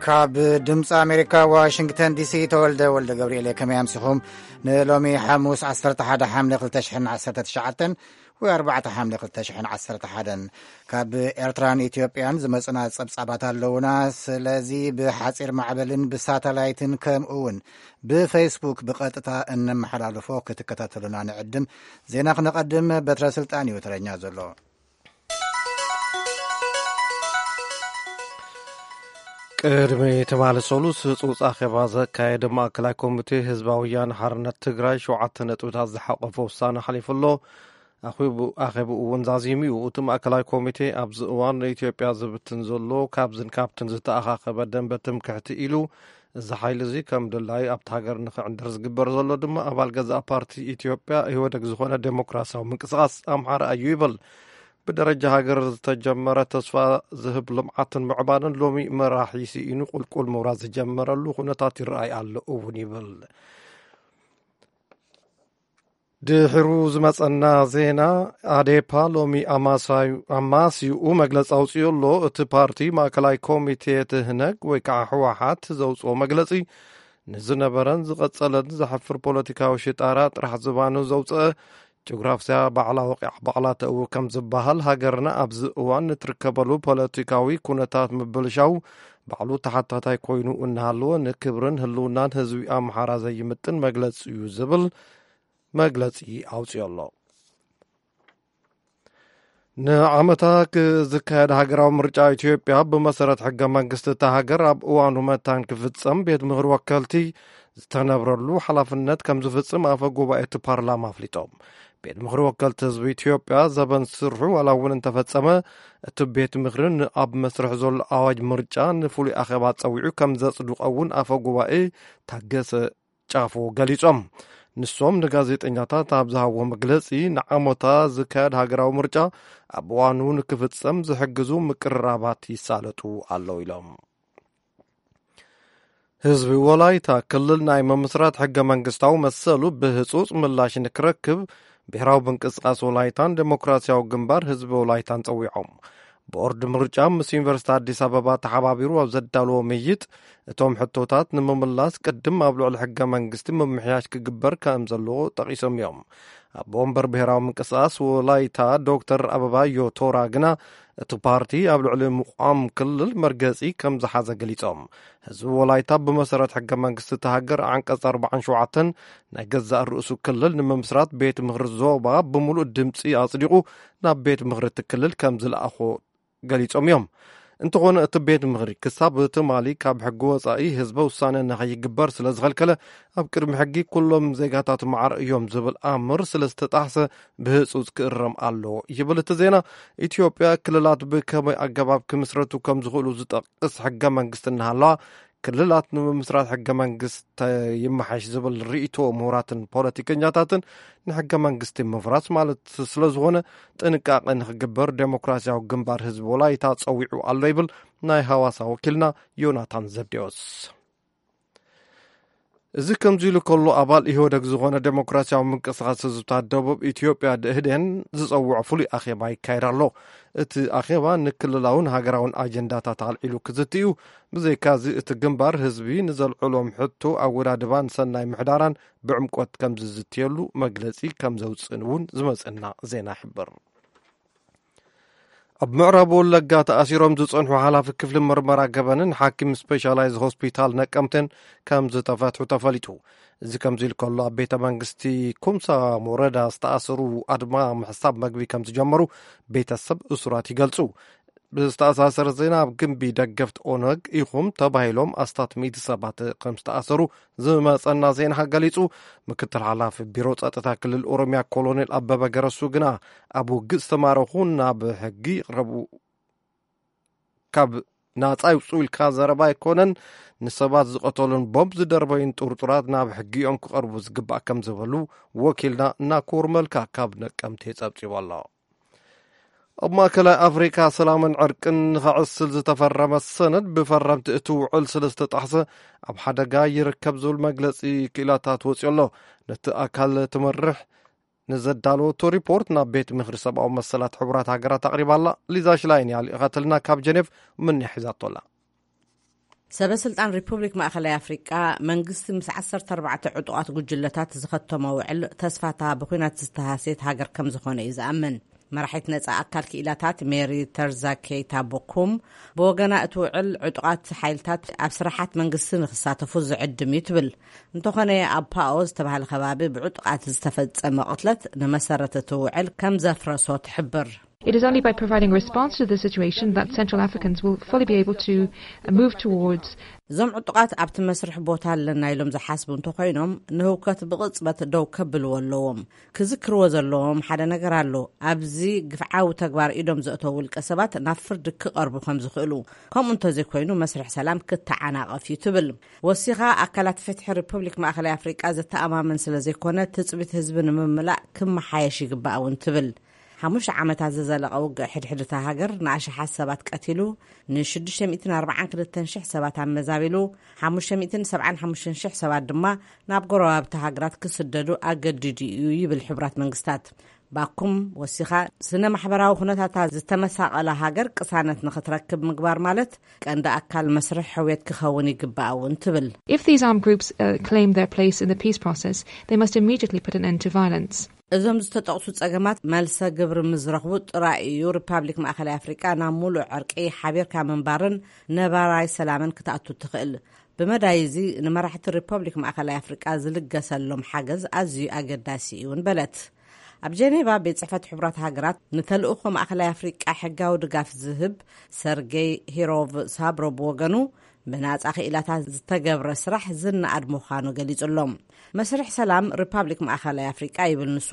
ካብ ድምፂ ኣሜሪካ ዋሽንግተን ዲሲ፣ ተወልደ ወልደ ገብርኤል። ከመይ ኣምሲኹም? ንሎሚ ሓሙስ ዓሰርተ ሓደ ሓምለ ክልተ ሽሕን ዓሰርተ ትሽዓተን ወይ ኣርባዕተ ሓምለ ክልተ ሽሕን ዓሰርተ ሓደን። ካብ ኤርትራን ኢትዮጵያን ዝመጹና ጸብጻባት ኣለውና። ስለዚ ብሓጺር ማዕበልን ብሳተላይትን ከምኡ እውን ብፌስቡክ ብቐጥታ እነመሓላልፎ ክትከታተሉና ንዕድም። ዜና ክነቐድም በትረ ስልጣን እዩ ተረኛ ዘሎ። ቅድሚ ትማሊ ሰሉስ ህጹጽ ኣኼባ ዘካየደ ማእከላይ ኮሚቴ ህዝባዊ ወያነ ሓርነት ትግራይ ሸውዓተ ነጥብታት ዝሓቆፈ ውሳነ ሓሊፉ ኣሎ። ኣኼቡ-፣ ኣኼብኡ እውን ዛዚሙ እዩ። እቲ ማእከላይ ኮሚቴ ኣብዚ እዋን ንኢትዮጵያ ዝብትን ዘሎ ካብዝን ካብትን ዝተኣኻኸበ ደንበ ትምክሕቲ ኢሉ፣ እዚ ሓይሊ እዚ ከም ድላዩ ኣብቲ ሃገር ንኽዕንድር ዝግበር ዘሎ ድማ ኣባል ገዛእ ፓርቲ ኢትዮጵያ ኢህወደግ ዝኾነ ዴሞክራሲያዊ ምንቅስቓስ ኣምሓራ እዩ ይብል። ብደረጃ ሃገር ዝተጀመረ ተስፋ ዝህብ ልምዓትን ምዕባለን ሎሚ መራሒ ስኢኑ ቁልቁል ምውራድ ዝጀመረሉ ኩነታት ይረኣይ ኣሎ እውን ይብል። ድሕሩ ዝመጸና ዜና፣ ኣዴፓ ሎሚ ኣማሳዩ-፣ ኣማስይኡ መግለጺ ኣውጺኡ ኣሎ። እቲ ፓርቲ ማእከላይ ኮሚቴ ትህነግ ወይ ከዓ ህወሓት ዘውጽኦ መግለጺ ንዝነበረን ዝቐጸለን ዘሕፍር ፖለቲካዊ ሽጣራ ጥራሕ ዝባኑ ዘውጽአ ጂኦግራፍያ ባዕላ ወቂዓ ባዕላ ተእዊ ከም ዝበሃል፣ ሃገርና ኣብዚ እዋን ንትርከበሉ ፖለቲካዊ ኩነታት ምብልሻው ባዕሉ ተሓታታይ ኮይኑ እናሃለወ ንክብርን ህልውናን ህዝቢ ኣምሓራ ዘይምጥን መግለጺ እዩ ዝብል መግለጺ ኣውጺኡ ኣሎ። ንዓመታ ክ-፣ ዝካየድ ሃገራዊ ምርጫ ኢትዮጵያ ብመሰረት ሕገ መንግስቲ እታ ሃገር ኣብ እዋኑ መታን ክፍጸም ቤት ምኽሪ ወከልቲ ዝተነብረሉ ሓላፍነት ከም ዝፍጽም ኣፈ ጉባኤ እቲ ፓርላማ ኣፍሊጦም። ቤት ምኽሪ ወከልቲ ህዝቢ ኢትዮጵያ ዘበን ስርሑ ዋላ እውን እንተፈጸመ፣ እቲ ቤት ምኽሪ ንኣብ መስርሕ ዘሎ ኣዋጅ ምርጫ ንፍሉይ ኣኼባ ጸዊዑ ከም ዘጽድቆ እውን ኣፈ ጉባኤ ታገሰ ጫፎ ገሊጾም። ንሶም ንጋዜጠኛታት ኣብ ዝሃብዎ መግለጺ፣ ንዓመታ ዝካየድ ሃገራዊ ምርጫ ኣብ እዋኑ ንክፍጸም ዝሕግዙ ምቅርራባት ይሳለጡ ኣለዉ ኢሎም። ህዝቢ ወላይታ ክልል ናይ ምምስራት ሕገ መንግስታዊ መሰሉ ብህጹጽ ምላሽ ንክረክብ ብሄራዊ ምንቅስቃስ ወላይታን ዴሞክራሲያዊ ግንባር ህዝቢ ወላይታን ጸዊዖም። ቦርድ ምርጫ ምስ ዩኒቨርሲቲ ኣዲስ ኣበባ ተሓባቢሩ ኣብ ዘዳለዎ ምይጥ፣ እቶም ሕቶታት ንምምላስ ቅድም ኣብ ልዕሊ ሕገ መንግስቲ ምምሕያሽ ክግበር ከም ዘለዎ ጠቒሶም እዮም። ኣቦ ወንበር ብሄራዊ ምንቅስቃስ ወላይታ ዶክተር ኣበባዮ ቶራ ግና፣ እቲ ፓርቲ ኣብ ልዕሊ ምቋም ክልል መርገጺ ከም ዝሓዘ ገሊጾም። ህዝቢ ወላይታ ብመሰረት ሕገ መንግስቲ እቲ ሃገር ዓንቀጽ ኣርባዓን ሸውዓተን ናይ ገዛእ ርእሱ ክልል ንምምስራት ቤት ምኽሪ ዞባ ብምሉእ ድምጺ ኣጽዲቑ ናብ ቤት ምኽሪ እቲ ክልል ከም ዝለኣኾ ገሊጾም እዮም። እንተኾነ እቲ ቤት ምኽሪ ክሳብ ትማሊ ካብ ሕጊ ወጻኢ ህዝበ ውሳነ ንኸይግበር ስለ ዝኸልከለ፣ ኣብ ቅድሚ ሕጊ ኩሎም ዜጋታት ማዕረ እዮም ዝብል ኣምር ስለ ዝተጣሕሰ ብህጹጽ ክእረም ኣለዎ ይብል እቲ ዜና። ኢትዮጵያ ክልላት ብከመይ ኣገባብ ክምስረቱ ከም ዝኽእሉ ዝጠቅስ ሕገ መንግስቲ እናሃለዋ፣ ክልላት ንምምስራት ሕገ መንግስቲ ይመሓሽ ዝብል ርእይቶ ምሁራትን ፖለቲከኛታትን ንሕገ መንግስቲ ምፍራስ ማለት ስለ ዝኾነ ጥንቃቄ ንኽግበር ዴሞክራሲያዊ ግንባር ህዝቢ ወላይታ ጸዊዑ ኣሎ ይብል ናይ ሃዋሳ ወኪልና ዮናታን ዘብዴዎስ። እዚ ከምዚ ኢሉ ከሎ፣ ኣባል ኢህወደግ ዝኾነ ዴሞክራሲያዊ ምንቅስቃስ ህዝብታት ደቡብ ኢትዮጵያ፣ ደኢህዴን፣ ዝጸውዖ ፍሉይ ኣኼባ ይካየድ ኣሎ። እቲ ኣኼባ ንክልላውን ሃገራውን ኣጀንዳታት ኣልዒሉ ክዝቲ እዩ። ብዘይካዚ፣ እቲ ግንባር ህዝቢ ንዘልዕሎም ሕቶ ኣወዳድባን ሰናይ ምሕዳራን ብዕምቆት ከም ዝዝትየሉ መግለጺ ከም ዘውፅእን እውን ዝመፅእና ዜና ይሕብር። ኣብ ምዕራብ ወለጋ ተኣሲሮም ዝጸንሑ ሓላፊ ክፍሊ ምርመራ ገበንን ሓኪም ስፔሻላይዝ ሆስፒታል ነቀምቴን ከም ዝተፈትሑ ተፈሊጡ። እዚ ከምዚ ኢሉ ከሎ፣ ኣብ ቤተ መንግስቲ ኩምሳ ሞረዳ ዝተኣሰሩ ኣድማ ምሕሳብ መግቢ ከም ዝጀመሩ ቤተሰብ እሱራት ይገልጹ። ብዝተኣሳሰረ ዜና፣ ኣብ ግንቢ ደገፍቲ ኦነግ ኢኹም ተባሂሎም ኣስታት ሚእቲ ሰባት ከም ዝተኣሰሩ ዝመጸና ዜና ገሊጹ። ምክትል ሓላፊ ቢሮ ጸጥታ ክልል ኦሮሚያ ኮሎኔል ኣበበ ገረሱ ግና፣ ኣብ ውግእ ዝተማረኹ ናብ ሕጊ ይቕረቡ፣ ካብ ናጻ ይውጽኡ ኢልካ ዘረባ ኣይኮነን፣ ንሰባት ዝቐተሉን ቦምብ ዝደርበዩን ጥርጡራት ናብ ሕጊ እዮም ክቐርቡ ዝግባእ ከም ዝበሉ ወኪልና ናኮር መልካ ካብ ነቀምቴ ጸብጺቡ ኣሎ። ኣብ ማእከላይ ኣፍሪካ ሰላምን ዕርቅን ንኸዕስል ዝተፈረመ ሰነድ ብፈረምቲ እቲ ውዕል ስለ ዝተጣሕሰ ኣብ ሓደጋ ይርከብ ዝብል መግለጺ ክኢላታት ወጺኡ ኣሎ። ነቲ ኣካል ትመርሕ ንዘዳለወቶ ሪፖርት ናብ ቤት ምኽሪ ሰብኣዊ መሰላት ሕቡራት ሃገራት ኣቕሪባ ኣላ። ሊዛ ሽላይን እያ ልኢኻትልና ካብ ጀኔቭ፣ ምንያ ሒዛቶ ኣላ። ሰበ ስልጣን ሪፑብሊክ ማእኸላይ ኣፍሪቃ፣ መንግስቲ ምስ ዓሰርተ ኣርባዕተ ዕጡቓት ጉጅለታት ዝኸተሞ ውዕል፣ ተስፋታ ብኲናት ዝተሃስየት ሃገር ከም ዝኾነ እዩ ዝኣምን። መራሒት ነጻ ኣካል ክኢላታት ሜሪ ተርዛ ኬይታ ቦኩም ብወገና፣ እቲ ውዕል ዕጡቓት ሓይልታት ኣብ ስራሓት መንግስቲ ንክሳተፉ ዝዕድም እዩ ትብል። እንተኾነ፣ ኣብ ፓኦ ዝተባህለ ከባቢ ብዕጡቓት ዝተፈጸመ ቅትለት ንመሰረት እቲ ውዕል ከም ዘፍረሶ ትሕብር። It is only by providing a response to the situation that Central Africans will fully be able to move towards. እዞም ዕጡቓት ኣብቲ መስርሕ ቦታ ኣለና ኢሎም ዝሓስቡ እንተኾይኖም፣ ንህውከት ብቕጽበት ደው ከብልዎ ኣለዎም። ክዝክርዎ ዘለዎም ሓደ ነገር ኣሎ። ኣብዚ ግፍዓዊ ተግባር ኢዶም ዘእተው ውልቀ ሰባት ናብ ፍርዲ ክቐርቡ ከም ዝኽእሉ፣ ከምኡ እንተዘይኮይኑ መስርሕ ሰላም ክተዓናቐፍ እዩ ትብል። ወሲኻ፣ ኣካላት ፍትሒ ሪፑብሊክ ማእኸላይ ኣፍሪቃ ዘተኣማምን ስለ ዘይኮነ፣ ትጽቢት ህዝቢ ንምምላእ ክመሓየሽ ይግባእ እውን ትብል። ሓሙሽተ ዓመታት ዝዘለቐ ውግእ ሕድሕድታ ሃገር ንኣሽሓት ሰባት ቀቲሉ፣ ን642,000 ሰባት ኣመዛቢሉ፣ ሓሙሽተ ሚእትን ሰብዓን ሓሙሽተን ሽሕ ሰባት ድማ ናብ ጎረባብቲ ሃገራት ክስደዱ ኣገዲዱ እዩ ይብል ሕቡራት መንግስታት። ባኩም ወሲኻ፣ ስነ ማሕበራዊ ኩነታታ ዝተመሳቐለ ሃገር ቅሳነት ንኽትረክብ ምግባር ማለት ቀንዲ ኣካል መስርሕ ሕውየት ክኸውን ይግባእ እውን ትብል። If these armed groups uh, claim their place in the peace process, they must immediately put an end to violence. እዞም ዝተጠቕሱ ጸገማት መልሰ ግብሪ ምዝረኽቡ ጥራይ እዩ ሪፓብሊክ ማእኸላይ ኣፍሪቃ ናብ ሙሉእ ዕርቂ፣ ሓቢርካ ምንባርን ነባራይ ሰላምን ክትኣቱ ትኽእል። ብመዳይ እዚ፣ ንመራሕቲ ሪፐብሊክ ማእኸላይ ኣፍሪቃ ዝልገሰሎም ሓገዝ ኣዝዩ ኣገዳሲ እዩን በለት። ኣብ ጀኔቫ ቤት ጽሕፈት ሕቡራት ሃገራት ንተልእኾ ማእኸላይ ኣፍሪቃ ሕጋዊ ድጋፍ ዝህብ ሰርጌይ ሂሮቭ ሳብሮ ብወገኑ፣ ብናጻ ክኢላታት ዝተገብረ ስራሕ ዝነኣድ ምዃኑ ገሊጹ ኣሎ። መስርሕ ሰላም ሪፓብሊክ ማእኸላይ ኣፍሪቃ፣ ይብል ንሱ፣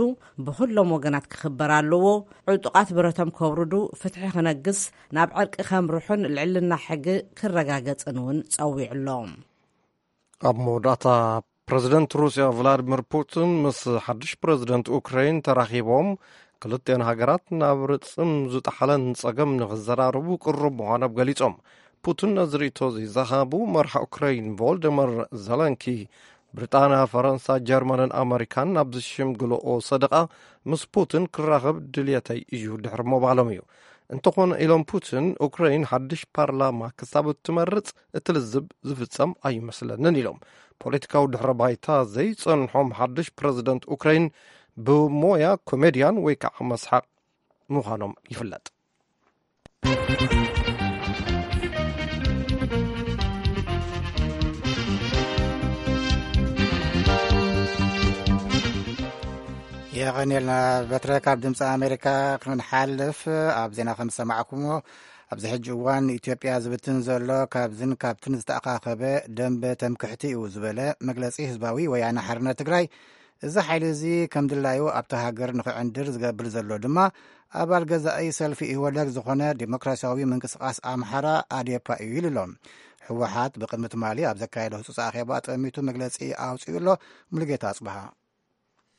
ብኹሎም ወገናት ክኽበር ኣለዎ። ዕጡቓት ብረቶም ከውርዱ፣ ፍትሒ ክነግስ፣ ናብ ዕርቂ ከምርሑን ልዕልና ሕጊ ክረጋገጽን እውን ጸዊዑ ኣሎ። ኣብ መወዳእታ፣ ፕረዚደንት ሩስያ ቭላድሚር ፑቲን ምስ ሓድሽ ፕረዚደንት ኡክራይን ተራኺቦም፣ ክልቲኦን ሃገራት ናብ ርጽም ዝጠሓለን ጸገም ንኽዘራረቡ ቅሩብ ምዃኖም ገሊጾም። ፑቲን ነዚ ርእይቶ እዚ ዝሃቡ፣ መራሒ ኡክራይን ቮልደመር ዘለንኪ፣ ብሪጣንያ፣ ፈረንሳ፣ ጀርመንን ኣመሪካን ናብ ዝሽምግልኦ ሰደቓ ምስ ፑቲን ክራኸብ ድልየተይ እዩ ድሕሪ ምባሎም እዩ። እንተኾነ፣ ኢሎም ፑቲን፣ ኡክራይን ሓድሽ ፓርላማ ክሳብ እትመርጽ እቲ ልዝብ ዝፍጸም ኣይመስለንን ኢሎም። ፖለቲካዊ ድሕረ ባይታ ዘይጸንሖም ሓድሽ ፕረዚደንት ኡክራይን፣ ብሞያ ኮሜድያን ወይ ከዓ መስሓቕ ምዃኖም ይፍለጥ። የቐንየልና በትረ። ካብ ድምፂ ኣሜሪካ ክንሓልፍ፣ ኣብ ዜና ከም ዝሰማዕኩሞ፣ ኣብዚ ሕጂ እዋን ኢትዮጵያ ዝብትን ዘሎ ካብዝን ካብትን ዝተኣኻኸበ ደንበ ተምክሕቲ እዩ ዝበለ መግለፂ ህዝባዊ ወያነ ሓርነት ትግራይ፣ እዚ ሓይሊ እዚ ከም ድላዩ ኣብታ ሃገር ንኽዕንድር ዝገብር ዘሎ ድማ ኣባል ገዛኢ ሰልፊ ኢህወደግ ዝኾነ ዴሞክራሲያዊ ምንቅስቓስ ኣምሓራ፣ ኣዴፓ፣ እዩ ኢሉ ኣሎ። ህወሓት ብቅድሚ ትማሊ ኣብ ዘካየዶ ህጹጽ ኣኼባ ጠሚቱ መግለጺ ኣውጺኡ ኣሎ። ሙሉጌታ ኣጽብሃ።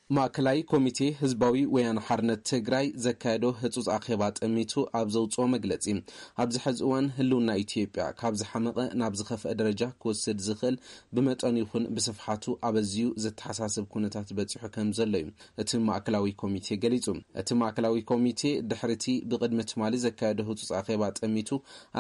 ማእከላይ ኮሚቴ ህዝባዊ ወያነ ሓርነት ትግራይ ዘካየዶ ህጹጽ ኣኼባ ጠሚቱ ኣብ ዘውጽኦ መግለጺ፣ ኣብዚ ሕዚ እዋን ህልውና ኢትዮጵያ ካብ ዝሓመቐ ናብ ዝኸፍአ ደረጃ ክወስድ ዝኽእል፣ ብመጠኑ ይኹን ብስፍሓቱ ኣበዝዩ ዘተሓሳስብ ኩነታት በጺሑ ከም ዘሎ እዩ እቲ ማእከላዊ ኮሚቴ ገሊጹ። እቲ ማእከላዊ ኮሚቴ፣ ድሕሪቲ ብቕድሚ ትማሊ ዘካየዶ ህጹጽ ኣኼባ ጠሚቱ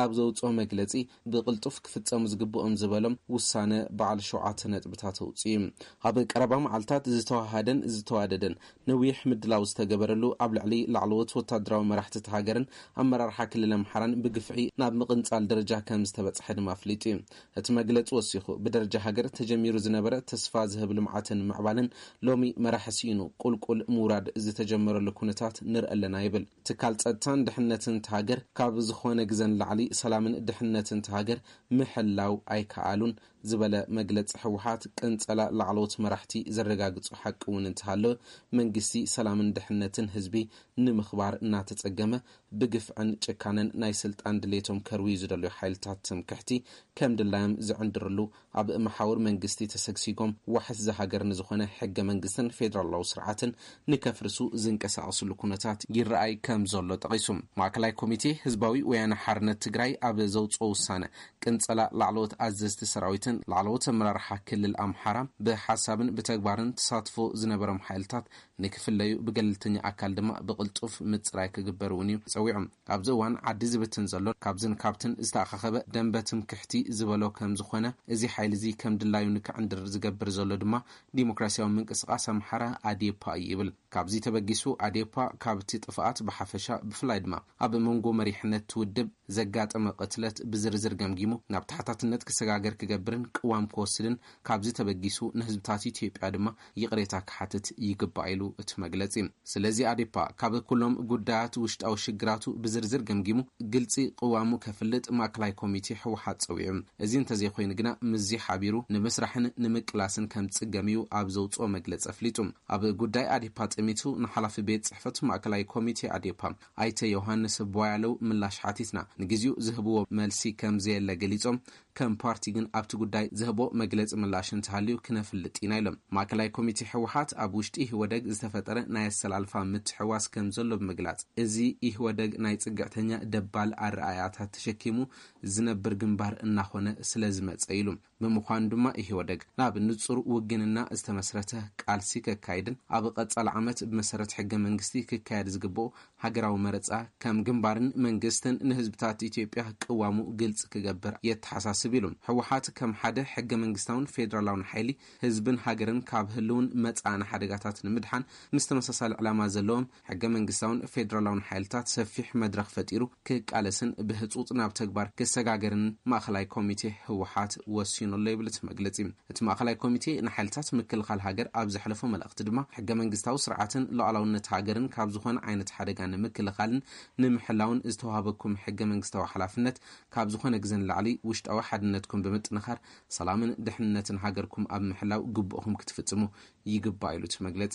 ኣብ ዘውጽኦ መግለጺ፣ ብቕልጡፍ ክፍጸሙ ዝግብኦም ዝበሎም ውሳነ በዓል ሸውዓተ ነጥብታት ኣውጺኡ። ኣብ ቀረባ መዓልታት ዝተዋሃደን ዝተዋደደን ነዊሕ ምድላው ዝተገበረሉ፣ ኣብ ልዕሊ ላዕለዎት ወታደራዊ መራሕቲ እታ ሃገርን ኣመራርሓ ክልል ኣምሓራን ብግፍዒ ናብ ምቕንጻል ደረጃ ከም ዝተበጽሐ ድማ ኣፍሊጡ እዩ። እቲ መግለጺ ወሲኹ፣ ብደረጃ ሃገር ተጀሚሩ ዝነበረ ተስፋ ዝህብ ልምዓትን ምዕባለን፣ ሎሚ መራሒ ስኢኑ ቁልቁል ምውራድ ዝተጀመረሉ ኩነታት ንርኢ ኣለና ይብል። ትካል ጸጥታን ድሕነትን እታ ሃገር ካብ ዝኾነ ግዘ ንላዕሊ ሰላምን ድሕነትን እታ ሃገር ምሕላው ኣይከኣሉን ዝበለ መግለጺ ህወሓት፣ ቅንጸላ ላዕለዎት መራሕቲ ዘረጋግጾ ሓቂ እውን እንተሃለወ፣ መንግስቲ ሰላምን ድሕነትን ህዝቢ ንምኽባር እናተጸገመ፣ ብግፍዕን ጭካነን ናይ ስልጣን ድሌቶም ከርውዩ ዝደልዩ ሓይልታት ትምክሕቲ ከም ድላዮም ዝዕንድርሉ፣ ኣብ መሓውር መንግስቲ ተሰግሲጎም ዋሕስ እዛ ሃገር ንዝኾነ ሕገ መንግስትን ፌደራላዊ ስርዓትን ንከፍርሱ ዝንቀሳቐስሉ ኩነታት ይረኣይ ከም ዘሎ ጠቒሱ። ማእከላይ ኮሚቴ ህዝባዊ ወያነ ሓርነት ትግራይ ኣብ ዘውፅኦ ውሳነ፣ ቅንጸላ ላዕለዎት ኣዘዝቲ ሰራዊትን ላዕለዎት ኣመራርሓ ክልል ኣምሓራ ብሓሳብን ብተግባርን ተሳትፎ ዝነበሮም ሓይልታት ንክፍለዩ፣ ብገለልተኛ ኣካል ድማ ብቕልጡፍ ምፅራይ ክግበር እውን እዩ። ጸዊዑ። ኣብዚ እዋን ዓዲ ዝብትን ዘሎ ካብዝን ካብትን ዝተኣኻኸበ ደንበ ትምክሕቲ ዝበሎ ከም ዝኾነ፣ እዚ ሓይሊ እዚ ከም ድላዩ ንክዕንድር ዝገብር ዘሎ ድማ ዲሞክራሲያዊ ምንቅስቃስ ኣምሓራ ኣዴፓ እዩ ይብል። ካብዚ ተበጊሱ ኣዴፓ ካብቲ ጥፍኣት ብሓፈሻ ብፍላይ ድማ ኣብ መንጎ መሪሕነት ውድብ ዘጋጠመ ቅትለት ብዝርዝር ገምጊሙ ናብ ተሓታትነት ክሰጋገር ክገብርን ቅዋም ክወስድን ካብዚ ተበጊሱ ንህዝብታት ኢትዮጵያ ድማ ይቕሬታ ክሓትት ይግባእ ኢሉ እቲ መግለጺ። ስለዚ ኣዴፓ ካብ ኩሎም ጉዳያት ውሽጣዊ ሽግራቱ ብዝርዝር ገምጊሙ ግልጺ ቅዋሙ ከፍልጥ ማእከላይ ኮሚቴ ህወሓት ጸዊዑ። እዚ እንተዘይኮይኑ ግና ምስዚ ሓቢሩ ንምስራሕን ንምቅላስን ከም ዝጽገም እዩ ኣብ ዘውጽኦ መግለጺ ኣፍሊጡ። ኣብ ጉዳይ ኣዴፓ ጠሚቱ ንሓላፊ ቤት ጽሕፈት ማእከላይ ኮሚቴ ኣዴፓ ኣይተ ዮሃንስ ቧያለው ምላሽ ሓቲትና። ንግዜኡ ዝህብዎ መልሲ ከም ዘየለ ገሊጾም፣ ከም ፓርቲ ግን ኣብቲ ጉዳይ ዝህቦ መግለጺ ምላሽ እንተሃልዩ ክነፍልጥ ኢና ኢሎም። ማእከላይ ኮሚቴ ህወሓት ኣብ ውሽጢ ኢህወደግ ዝተፈጠረ ናይ ኣሰላልፋ ምትሕዋስ ከም ዘሎ ብምግላጽ፣ እዚ ኢህወደግ ናይ ጽግዕተኛ ደባል ኣረኣእያታት ተሸኪሙ ዝነብር ግንባር እናኾነ ስለ ዝመጸ ኢሉ። ብምዃኑ ድማ ኢህወደግ ናብ ንጹር ውግንና ዝተመስረተ ቃልሲ ከካይድን ኣብ ቀጻሊ ዓመት ብመሰረት ሕገ መንግስቲ ክካየድ ዝግብኦ ሃገራዊ መረጻ ከም ግንባርን መንግስትን ንህዝብታት ኢትዮጵያ ቅዋሙ ግልጺ ክገብር የተሓሳስብ ኢሉ። ህወሓት ከም ሓደ ሕገ መንግስታውን ፌዴራላውን ሓይሊ ህዝብን ሃገርን ካብ ህልውን መጻእን ሓደጋታት ንምድሓን ምስ ተመሳሳሊ ዕላማ ዘለዎም ሕገ መንግስታውን ፌዴራላውን ሓይልታት ሰፊሕ መድረኽ ፈጢሩ ክቃለስን ብህጹጽ ናብ ተግባር ክሰጋገርን ማእኸላይ ኮሚቴ ህወሓት ወሲኑ ኣሎ ይብል እቲ መግለጺ። እቲ ማእኸላይ ኮሚቴ ንሓይልታት ምክልኻል ሃገር ኣብ ዘሕለፎ መልእኽቲ ድማ ሕገ መንግስታዊ ስርዓትን ሉዓላውነት ሃገርን ካብ ዝኾነ ዓይነት ሓደጋ ንምክልኻልን ንምሕላውን ዝተዋህበኩም ሕገ መንግስታዊ ሓላፍነት ካብ ዝኾነ ግዘ ንላዕሊ ውሽጣዊ ሓድነትኩም ብምጥንኻር ሰላምን ድሕንነትን ሃገርኩም ኣብ ምሕላው ግቡእኹም ክትፍጽሙ ይግባእ ኢሉ እቲ መግለጺ።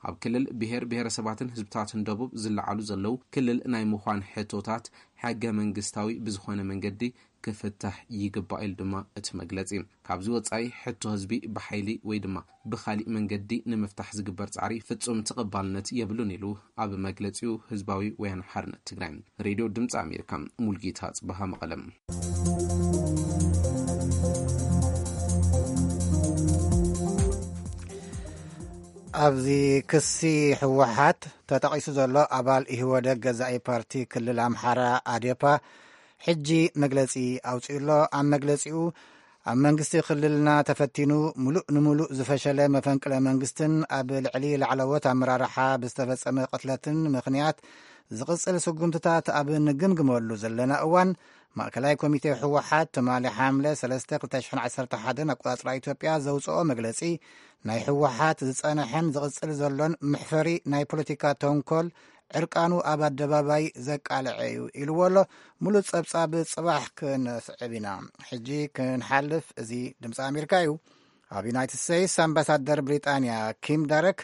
ኣብ ክልል ብሄር ብሄረሰባትን ህዝብታትን ደቡብ ዝለዓሉ ዘለዉ ክልል ናይ ምዃን ሕቶታት ሕገ መንግስታዊ ብዝኾነ መንገዲ ክፍታሕ ይግባእ ኢሉ ድማ እቲ መግለጺ። ካብዚ ወጻኢ ሕቶ ህዝቢ ብሓይሊ ወይ ድማ ብኻሊእ መንገዲ ንምፍታሕ ዝግበር ጻዕሪ ፍጹም ተቐባልነት የብሉን ኢሉ ኣብ መግለጺኡ ህዝባዊ ወያነ ሓርነት ትግራይ። ሬድዮ ድምፂ ኣሜሪካ፣ ሙልጌታ ጽበሃ መቐለም። ኣብዚ ክሲ ህወሓት ተጠቒሱ ዘሎ ኣባል ኢህወደግ ገዛኢ ፓርቲ ክልል ኣምሓራ ኣዴፓ ሕጂ መግለጺ ኣውጺኡ ኣሎ። ኣብ መግለጺኡ ኣብ መንግስቲ ክልልና ተፈቲኑ ምሉእ ንምሉእ ዝፈሸለ መፈንቅለ መንግስትን ኣብ ልዕሊ ላዕለዎት ኣመራርሓ ብዝተፈጸመ ቅትለትን ምኽንያት ዝቕጽል ስጉምትታት ኣብ ንግምግመሉ ዘለና እዋን ማእከላይ ኮሚቴ ህወሓት ትማሊ ሓምለ ሰለስተ ክልተ ሽሕን ዓሰርተ ሓደን ኣቆጻጽራ ኢትዮጵያ ዘውጽኦ መግለጺ ናይ ህወሓት ዝጸንሐን ዝቕጽል ዘሎን መሕፈሪ ናይ ፖለቲካ ተንኮል ዕርቃኑ ኣብ ኣደባባይ ዘቃልዐ እዩ ኢልዎ ኣሎ። ሙሉእ ጸብጻብ ጽባሕ ክንስዕብ ኢና። ሕጂ ክንሓልፍ፣ እዚ ድምፂ ኣሜሪካ እዩ። ኣብ ዩናይትድ ስቴትስ ኣምባሳደር ብሪጣንያ ኪም ዳረክ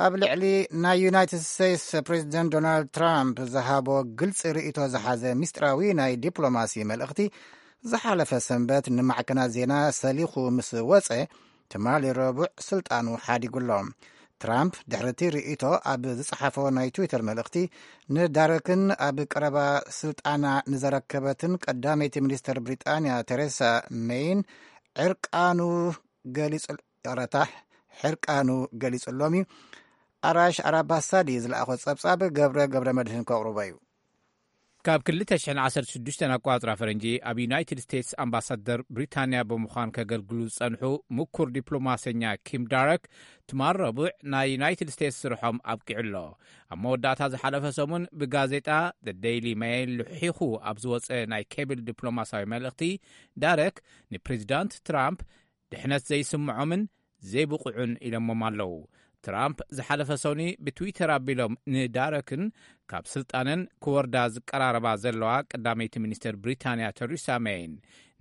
ኣብ ልዕሊ ናይ ዩናይትድ ስቴትስ ፕሬዚደንት ዶናልድ ትራምፕ ዝሃቦ ግልፂ ርእይቶ ዝሓዘ ሚስጥራዊ ናይ ዲፕሎማሲ መልእኽቲ ዝሓለፈ ሰንበት ንማዕከናት ዜና ሰሊኹ ምስ ወፀ ትማሊ ረቡዕ ስልጣኑ ሓዲጉ ኣሎ። ትራምፕ ድሕሪ እቲ ርእይቶ ኣብ ዝጸሓፎ ናይ ትዊተር መልእኽቲ ንዳረክን ኣብ ቀረባ ስልጣና ንዘረከበትን ቀዳመይቲ ሚኒስተር ብሪጣንያ ቴሬሳ ሜይን ዕርቃኑ ገሊጹ፣ ይቕረታ፣ ሕርቃኑ ገሊጹሎም እዩ። ኣራሽ ኣራባሳዲ ዝለኣኾ ጸብጻብ ገብረ ገብረ መድህን ከቕርቦ እዩ። ካብ ክልተ ሽሕን ዓሰርተ ሽዱሽተን ኣቋጽራ ፈረንጂ ኣብ ዩናይትድ ስቴትስ ኣምባሳደር ብሪታንያ ብምዃን ከገልግሉ ዝጸንሑ ምኩር ዲፕሎማሰኛ ኪም ዳረክ ትማል ረቡዕ ናይ ዩናይትድ ስቴትስ ስርሖም ኣብቂዑ ኣሎ። ኣብ መወዳእታ ዝሓለፈ ሰሙን ብጋዜጣ The Daily Mail ልሒኹ ኣብ ዝወጸ ናይ ኬብል ዲፕሎማሳዊ መልእኽቲ ዳረክ ንፕሬዚዳንት ትራምፕ ድሕነት ዘይስምዖምን ዘይብቑዑን ኢሎሞም ኣለዉ። ትራምፕ ዝሓለፈ ሰኑይ ብትዊተር ኣቢሎም ንዳረክን ካብ ስልጣነን ክወርዳ ዝቀራረባ ዘለዋ ቀዳመይቲ ሚኒስትር ብሪታንያ ተሪሳ ሜይን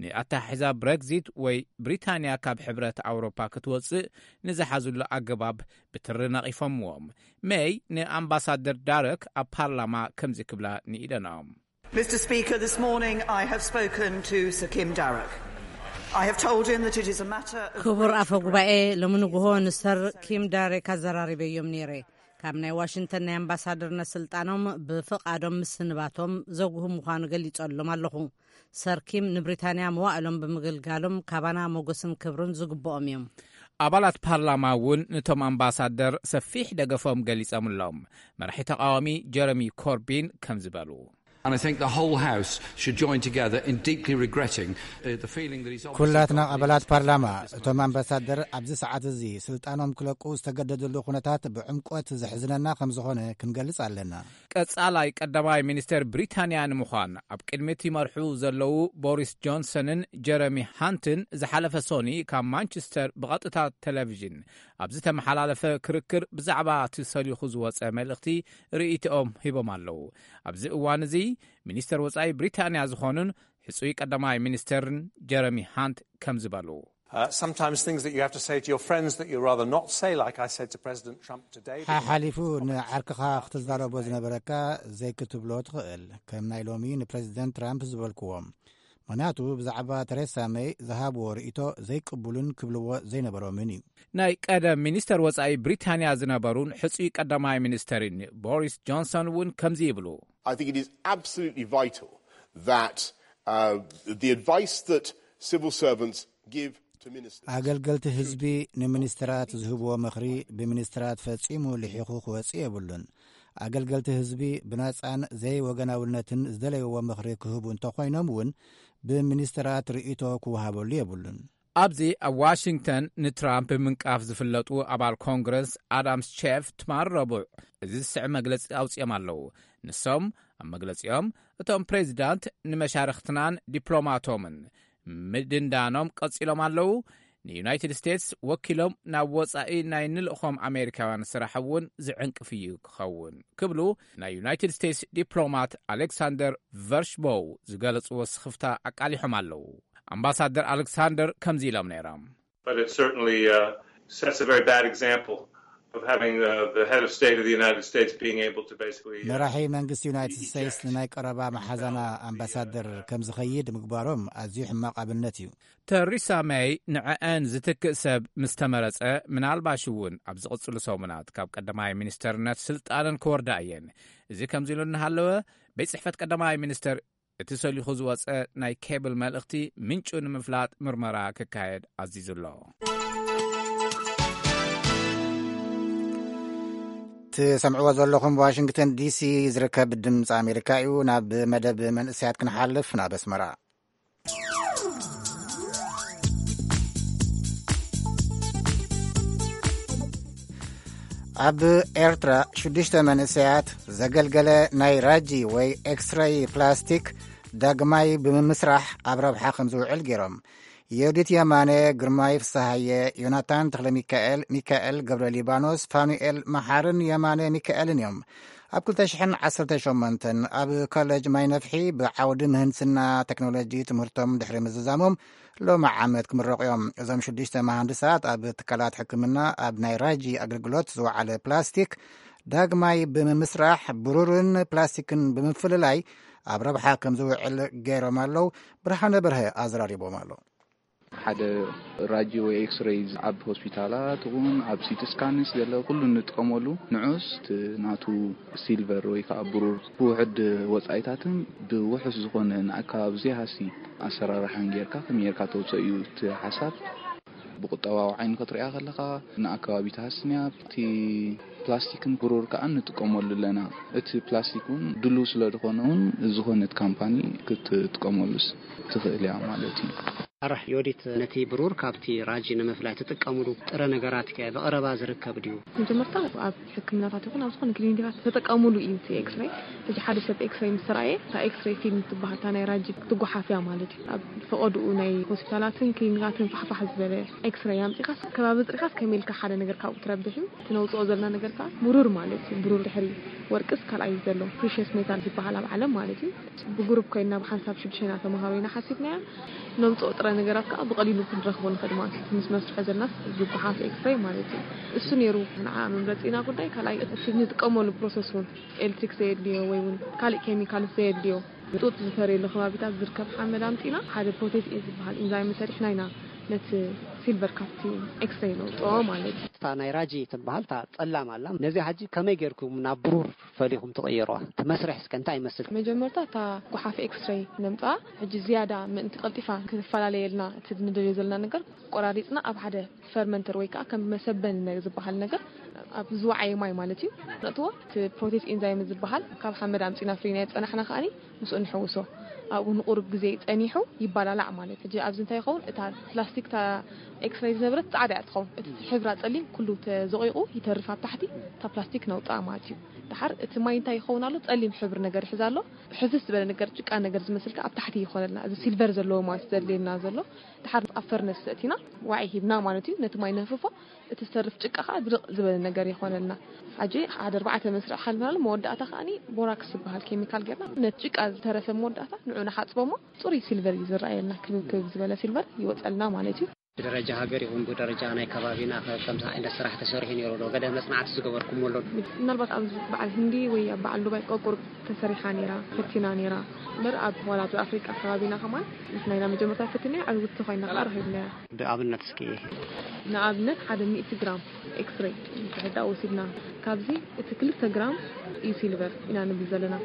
ንኣተሓሕዛ ብረግዚት ወይ ብሪታንያ ካብ ሕብረት ኣውሮፓ ክትወፅእ ንዝሓዙሉ ኣገባብ ብትሪ ነቒፎምዎም። ሜይ ንኣምባሳደር ዳረክ ኣብ ፓርላማ ከምዚ ክብላ ንኢደኖም። Mister Speaker, this morning I have spoken to Sir Kim Darroch. I have told him that it is a matter of ክቡር great ኣፈ ጉባኤ፣ ሎሚ ንግሆ ንሰር ኪም ዳሬክ ኣዘራሪበዮም ነይረ። ካብ ናይ ዋሽንግተን ናይ ኣምባሳደርነት ስልጣኖም ብፍቓዶም ምስንባቶም ዘጉህ ምዃኑ ገሊጸሎም ኣለኹ። ሰር ኪም ንብሪታንያ መዋእሎም ብምግልጋሎም ካባና ሞገስን ክብርን ዝግብኦም እዮም። ኣባላት ፓርላማ እውን ነቶም ኣምባሳደር ሰፊሕ ደገፎም ገሊጾምሎም። መራሒ ተቓዋሚ ጀረሚ ኮርቢን ከም ዝበሉ። And I think the whole House should join together in deeply regretting uh, the feeling that he's obviously ኩላትና got that ኣባላት ፓርላማ እቶም ኣምባሳደር ኣብዚ ሰዓት እዚ ስልጣኖም ክለቁ ዝተገደድሉ ኩነታት ብዕምቆት ዘሕዝነና ከም ዝኾነ ክንገልጽ ኣለና። ቀጻላይ ቀዳማይ ሚኒስተር ብሪታንያ ንምዃን ኣብ ቅድሚት ይመርሑ ዘለዉ ቦሪስ ጆንሰንን ጀረሚ ሃንትን ዝሓለፈ ሶኒ ካብ ማንቸስተር ብቐጥታ ቴሌቪዥን ኣብ ዝተመሓላለፈ ክርክር ብዛዕባ እቲ ሰሊኹ ዝወጸ መልእኽቲ ርእይቶኦም ሂቦም ኣለዉ። ኣብዚ እዋን እዚ ሚኒስተር ወጻኢ ብሪታንያ ዝኾኑን ሕጹይ ቀዳማይ ሚኒስተርን ጀረሚ ሃንት ከም ዝበሉ። Uh, sometimes things that you have to say to your friends that you rather not say, like I said to President Trump today. ሓሓሊፉ ንዓርክኻ ክትዛረቦ ዝነበረካ ዘይክትብሎ ትኽእል፣ ከም ናይ ሎሚ ንፕረዚደንት ትራምፕ ዝበልክዎ። ምኽንያቱ ብዛዕባ ተሬሳ መይ ዝሃብዎ ርእይቶ ዘይቅቡልን ክብልዎ ዘይነበሮምን እዩ። ናይ ቀደም ሚኒስተር ወጻኢ ብሪታንያ ዝነበሩን ሕጹይ ቀዳማይ ሚኒስተርን ቦሪስ ጆንሰን እውን ከምዚ ይብሉ። I think it is absolutely vital that uh, the advice that civil servants give to ministers. ኣገልገልቲ ህዝቢ ንሚኒስትራት ዝህብዎ ምኽሪ ብሚኒስትራት ፈጺሙ ልሒኹ ክወጽእ የብሉን። ኣገልገልቲ ህዝቢ ብናጻን ዘይወገናውነትን ዝደለይዎ ምኽሪ ክህቡ እንተኾይኖም እውን ብሚኒስትራት ርእይቶ ክወሃበሉ የብሉን። ኣብዚ ኣብ ዋሽንግተን ንትራምፕ ብምንቃፍ ዝፍለጡ ኣባል ኮንግረስ ኣዳም ሼፍ ትማል ረቡዕ እዚ ዝስዕብ መግለጺ ኣውጺኦም ኣለዉ። ንሶም ኣብ መግለጺኦም እቶም ፕሬዚዳንት ንመሻርኽትናን ዲፕሎማቶምን ምድንዳኖም ቀጺሎም ኣለዉ። ንዩናይትድ ስቴትስ ወኪሎም ናብ ወጻኢ ናይ ንልእኾም ኣሜሪካውያን ስራሕ እውን ዝዕንቅፍ እዩ ክኸውን ክብሉ ናይ ዩናይትድ ስቴትስ ዲፕሎማት ኣሌክሳንደር ቨርሽቦው ዝገለጽዎ ስኽፍታ ኣቃሊሖም ኣለዉ። ኣምባሳደር ኣሌክሳንደር ከምዚ ኢሎም ነይሮም። But it certainly uh, sets a very bad example of having uh, the head of state of the United States being able to basically. Uh, መራሒ መንግስቲ ዩናይትድ ስቴትስ ንናይ ቀረባ መሓዛና ኣምባሳደር ከም ዝኸይድ ምግባሮም ኣዝዩ ሕማቕ ኣብነት እዩ። ተሪሳ መይ ንዕአን ዝትክእ ሰብ ምስ ተመረጸ ምናልባሽ እውን ኣብ ዝቕጽሉ ሰሙናት ካብ ቀዳማይ ሚኒስተርነት ስልጣነን ክወርዳ እየን። እዚ ከምዚ ኢሉ እናሃለወ ቤት ጽሕፈት ቀዳማይ ሚኒስተር እቲ ሰሊኹ ዝወጸ ናይ ኬብል መልእኽቲ ምንጩ ንምፍላጥ ምርመራ ክካየድ ኣዚዙ ኣሎ። ትሰምዕዎ ዘለኹም ዋሽንግተን ዲሲ ዝርከብ ድምፂ ኣሜሪካ እዩ። ናብ መደብ መንእሰያት ክንሓልፍ ናብ ኣስመራ። ኣብ ኤርትራ ሽዱሽተ መንእሰያት ዘገልገለ ናይ ራጂ ወይ ኤክስረይ ፕላስቲክ ዳግማይ ብምምስራሕ ኣብ ረብሓ ከም ዝውዕል ገይሮም። ዮዲት የማነ፣ ግርማይ ፍስሃየ፣ ዮናታን ተኽለ ሚካኤል፣ ሚካኤል ገብረ ሊባኖስ፣ ፋኑኤል መሓርን የማነ ሚካኤልን እዮም። ኣብ ክልተ ሽሕን ዓሰርተ ሸሞንተን ኣብ ኮሌጅ ማይ ነፍሒ ብዓውዲ ምህንድስና ቴክኖሎጂ ትምህርቶም ድሕሪ ምዝዛሞም ሎሚ ዓመት ክምረቑ እዮም። እዞም ሽዱሽተ መሃንድሳት ኣብ ትካላት ሕክምና ኣብ ናይ ራጂ ኣገልግሎት ዝወዓለ ፕላስቲክ ዳግማይ ብምምስራሕ ብሩርን ፕላስቲክን ብምፍልላይ ኣብ ረብሓ ከም ዝውዕል ገይሮም ኣለዉ። ብርሃነ በርሀ ኣዘራሪቦም ኣሎ። ሓደ ራጂ ወይ ኤክስሬይ ኣብ ሆስፒታላት እውን ኣብ ሲቲ ስካንስ ገለ ኩሉ እንጥቀመሉ ንዑስ እቲ ናቱ ሲልቨር ወይ ከዓ ብሩር ብውሕድ ወፃኢታትን ብውሑስ ዝኾነ ንኣከባቢ ዘይሃሲ ኣሰራርሓን ጌርካ ከመይ ጌርካ ተውፅኦ እዩ እቲ ሓሳብ። ብቁጠባዊ ዓይኒ ክትሪኣ ከለኻ ንኣከባቢ ትሃስንያ። እቲ ፕላስቲክን ብሩር ከዓ ንጥቀመሉ ኣለና። እቲ ፕላስቲክ እውን ድሉው ስለ ዝኾነ እውን ዝኾነት ካምፓኒ ክትጥቀመሉስ ትኽእል እያ ማለት እዩ። ኣራሕ ዮዲት ነቲ ብሩር ካብቲ ራጂ ንምፍላይ ትጥቀምሉ ጥረ ነገራት ከ ብቐረባ ዝርከብ ድዩ? መጀመርታ ኣብ ሕክምናታት ይኹን ኣብ ዝኾነ ክሊኒካት ተጠቀምሉ እዩ እቲ ኤክስሬይ። ሕጂ ሓደ ሰብ ኤክስሬይ ምስ ተራእየ እታ ኤክስሬይ ፊልም ትበሃል እታ ናይ ራጂ ትጓሓፍ እያ ማለት እዩ። ኣብ ፈቐድኡ ናይ ሆስፒታላትን ክሊኒካትን ፋሕፋሕ ዝበለ ኤክስሬይ ኣምፂኻስ ከባቢ ፅሪኻስ ከመይ ኢልካ ሓደ ነገር ካብኡ ትረብሕ እዩ። እቲ ነውፅኦ ዘለና ነገር ከዓ ብሩር ማለት እዩ። ብሩር ድሕሪ ወርቅስ ካልኣይ ዘሎ ፕሪሽስ ሜታል ዝበሃል ኣብ ዓለም ማለት እዩ። ብጉሩፕ ኮይና ብሓንሳብ ሽዱሽተ ኢና ተምሃሮ ኢና ሓሲብናያ። ነምፅኦ ጥረ ነገራት ከዓ ብቐሊሉ ክንረኽቦ ንኽእል ማለት እዩ። ምስ መስርሖ ዘልናስ ዝጓሓፍ ኤክስሬይ ማለት እዩ። እሱ ነይሩ ንዓ መምረፂና ጉዳይ። ካልኣይ እቲ ንጥቀመሉ ፕሮሰስ እውን ኤሌክትሪክ ዘየድልዮ ወይ እውን ካልእ ኬሚካልስ ዘየድልዮ ጡጥ ዝፈርየሉ ከባቢታት ዝርከብ ሓመድ ኣምፂና ሓደ ፕሮቴስ ኤ ዝበሃል ኢንዛይም ሰሪሕና ኢና ነቲ ሲልቨር ካብቲ ኤክስሬይ ነውፅኦ ማለት እዩ። እታ ናይ ራጂ ትበሃል እታ ጸላም ኣላ። ነዚኣ ሕጂ ከመይ ጌርኩም ናብ ብሩር ፈሊኹም ትቕይርዋ? እቲ መስርሕ እስከ እንታይ ይመስል? መጀመርታ እታ ጓሓፍ ኤክስሬይ ነምፅኣ። ሕጂ ዝያዳ ምእንቲ ቀልጢፋ ክትፈላለየልና እቲ ንደልዮ ዘለና ነገር ቆራሪፅና ኣብ ሓደ ፈርመንተር ወይ ከዓ ከም መሰበኒ ነ- ዝበሃል ነገር ኣብ ዝወዓየ ማይ ማለት እዩ ነእትዎ። እቲ ፕሮቴስ ኢንዛይም ዝበሃል ካብ ሓመድ ኣምፂና ፍሪና የፀናሕና ከዓኒ ምስኡ ንሕውሶ። ኣብኡ ንቁሩብ ግዜ ጸኒሑ ይባላላዕ ማለት እዩ። ኣብዚ እንታይ ይኸውን? እታ ፕላስቲክ እታ ኤክስሬይ ዝነበረት ጻዕዳ እያ ትኸውን። እቲ ሕብራ ጸሊም ኩሉ ተዘቂቑ ይተርፍ ኣብ ታሕቲ፣ እታ ፕላስቲክ ነውጽኣ ማለት እዩ። ድሓር እቲ ማይ እንታይ ይኸውን ኣሎ? ጸሊም ሕብሪ ነገር ይሕዝ ኣሎ። ሕፍስ ዝበለ ነገር ጭቃ ነገር ዝመስል ከኣ ኣብ ታሕቲ ይኾነልና። እዚ ሲልቨር ዘለዎ ማለት ዘድልየና ዘሎ ድሓር ኣብ ፈርነስ ዘእቲና ዋዒ ሂብና ማለት እዩ። ነቲ ማይ ነህፍፎ፣ እቲ ዝተርፍ ጭቃ ከኣ ድርቕ ዝበለ ነገር ይኾነልና። ሕጂ ሓደ ኣርባዕተ መስርዕ ሓሊፍናሉ፣ መወዳእታ ከኣኒ ቦራክስ ዝበሃል ኬሚካል ጌርና ነቲ ጭቃ ዝተረፈ መወዳእታ ንዑ ንሓጽቦ እሞ ጽሩይ ሲልቨር እዩ ዝረኣየልና። ክብብ ክብብ ዝበለ ሲልቨር ይወጸልና ማለት እዩ። ብደረጃ ሃገር ይኹን ብደረጃ ናይ ከባቢና ከ ከምዚ ዓይነት ስራሕ ተሰሪሑ ነይሩ ዶ? ገለ መጽናዕቲ ዝገበርኩሞ ኣሎ ዶ? ምናልባት ኣብ በዓል ህንዲ ወይ ኣብ በዓል ዱባይ ቆቁር ተሰሪሓ ነይራ፣ ፈቲና ነይራ። እምበር ኣብ ዋላ ኣብ ኣፍሪቃ ከባቢና ከማን ንሕና ኢና መጀመርታ ፈቲናዮ፣ ዕውትቲ ኮይና ከኣ ረኺብናያ። ብኣብነት እስኪ ንኣብነት ሓደ ሚእቲ ግራም ኤክስሬይ እንተሕዳ ወሲድና ካብዚ እቲ ክልተ ግራም እዩ ሲልቨር ኢና ንብል ዘለና።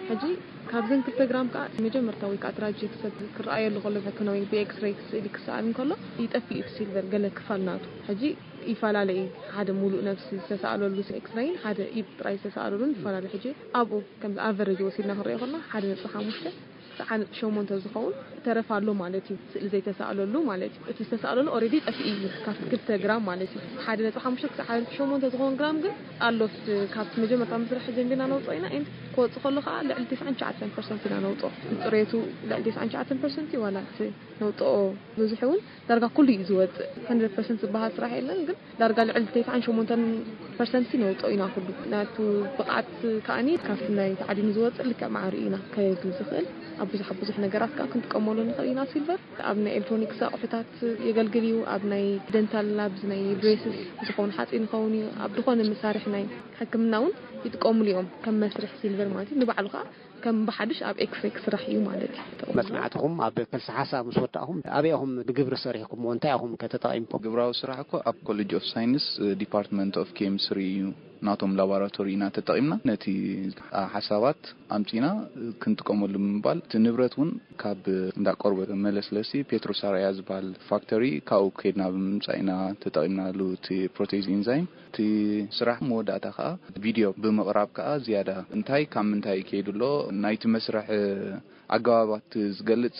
ሕጂ ካብዘን ክልተ ግራም ከዓ መጀመርታ ወይ ከዓ ትራጀክት ሰብ ክረኣየሉ ከሎ ብሕክምና ወይ ብኤክስሬይ ስእሊ ክሰኣል እንከሎ ይጠፍእ እቲ ሲልቨር ገለ ክፋል ናቱ። ሕጂ ይፈላለ እዩ። ሓደ ሙሉእ ነብሲ ዝተሰኣለሉ ኤክስሬይን ሓደ ኢድ ጥራይ ዝተሰኣለሉን ይፈላለ። ሕጂ ኣብኡ ከምዚ ኣቨሬጅ ወሲድና ክንሪኦ ከለና ሓደ ነጥቢ ሓሙሽተ ክሳዕ ሓደ ነጥቢ ሸሞንተ ዝኸውን ተረፍ ኣሎ ማለት እዩ። ስእሊ ዘይተሳእለሉ ማለት እዩ። እቲ ዝተሳእለሉ ኦሬዲ ጠፊኡ እዩ ካብቲ ክልተ ግራም ማለት እዩ። ሓደ ነጥቢ ሓሙሽተ ክሳዕ ሓደ ነጥቢ ሸሞንተ ዝኸውን ግራም ግን ኣሎ። ኣብቲ ካብቲ መጀመርታ ምስራሕ ጀሚርና ነውፅኦ ኢና። ኤንድ ክወፅእ ከሎ ከዓ ልዕሊ ተስዓን ትሽዓተን ፐርሰንት ኢና ነውፅኦ። ጽሬቱ ልዕሊ ተስዓን ትሽዓተን ፐርሰንት እዩ። ዋላ እቲ ነውፅኦ ብዙሕ እውን ዳርጋ ኩሉ እዩ ዝወፅእ። ሃንድረድ ፐርሰንት ዝበሃል ስራሕ የለን ግን ዳርጋ ልዕሊ ተስዓን ሸሞንተን ፐርሰንት ነውፅኦ ኢና። ኩሉ ናቱ ብቕዓት ከኣኒ ካብቲ ናይ ተዓዲኑ ዝወፅእ ልክዕ ማዕሪ ኢና ከየግል ዝኽእል። ኣብ ብዙሕ ኣብ ብዙሕ ነገራት ከዓ ክንጥቀመሉ ንኽእል ኢና። ሲልቨር ኣብ ናይ ኤሌክትሮኒክስ ኣቑሑታት የገልግል እዩ። ኣብ ናይ ደንታል ላብዝ ናይ ብሬስስ ዝኾኑ ሓፂን ይኸውን እዩ። ኣብ ዝኾነ መሳርሒ ናይ ሕክምና እውን ይጥቀሙሉ እዮም ከም መስርሕ ሲልቨር ማለት እዩ። ንባዕሉ ከዓ ከም ብሓድሽ ኣብ ኤክስሬይ ክስራሕ እዩ ማለት እዩ። መፅናዕትኹም ኣብ ከልሲ ሓሳብ ምስ ወዳእኹም ኣበይ ኢኹም ብግብሪ ሰሪሕኩምዎ? እንታይ ኢኹም ከ ተጠቒምኩም? ግብራዊ ስራሕ እኮ ኣብ ኮሌጅ ኦፍ ሳይንስ ዲፓርትመንት ኦፍ ኬሚስትሪ እዩ። ናቶም ላቦራቶሪ ኢና ተጠቒምና ነቲ ሓሳባት ኣምፂና ክንጥቀመሉ ብምባል እቲ ንብረት እውን ካብ እንዳ ቆርበት መለስለሲ ፔትሮሳራያ ዝበሃል ፋክተሪ ካብኡ ከይድና ብምምፃእ ኢና ተጠቒምናሉ እቲ ፕሮቴዝ ኢንዛይም። እቲ ስራሕ መወዳእታ ከዓ ቪድዮ ብምቕራብ ከዓ ዝያዳ እንታይ ካብ ምንታይ ከይዱ ኣሎ ናይቲ መስርሕ ኣገባባት ዝገልፅ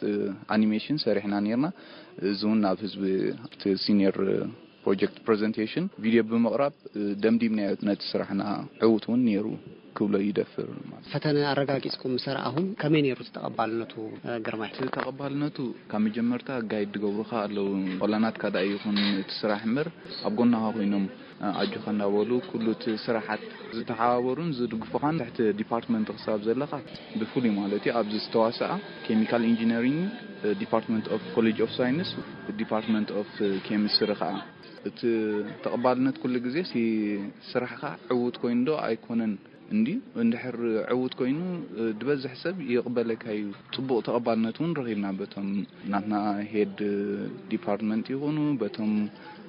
ኣኒሜሽን ሰሪሕና ነርና። እዚ እውን ናብ ህዝቢ እቲ ሲኒየር ፕሮጀክት ፕሬዘንቴሽን ቪድዮ ብምቕራብ ደምዲምናዮ ነቲ ስራሕና ዕዉት እውን ነይሩ ክብሎ ይደፍር ማለት እዩ። ፈተነ ኣረጋጊፅኩም ምስ ኣርኣኹም ከመይ ነይሩ እቲ ተቐባልነቱ ግርማይ? እቲ ተቐባልነቱ ካብ መጀመርታ ጋይድ ዝገብሩኻ ኣለዉ። ቆላናትካ ደኣ ይኹን እቲ ስራሕ እምበር ኣብ ጎናኻ ኮይኖም ኣጆኻ እንዳበሉ ኩሉ እቲ ስራሓት ዝተሓባበሩን ዝድግፉኻን ትሕቲ ዲፓርትመንት ክሳብ ዘለኻ ብፍሉይ ማለት እዩ ኣብዚ ዝተዋስኣ ኬሚካል ኢንጂነሪንግ ዲፓርትመንት ኦፍ ኮሌጅ ኦፍ ሳይንስ ዲፓርትመንት ኦፍ ኬሚስትሪ ከዓ እቲ ተቐባልነት ኩሉ ግዜ እቲ ስራሕኻ ዕዉት ኮይኑ ዶ ኣይኮነን እንድዩ እንድሕር ዕዉት ኮይኑ ዝበዝሕ ሰብ ይቕበለካ እዩ። ፅቡቕ ተቐባልነት እውን ረኺብና በቶም ናትና ሄድ ዲፓርትመንት ይኹኑ በቶም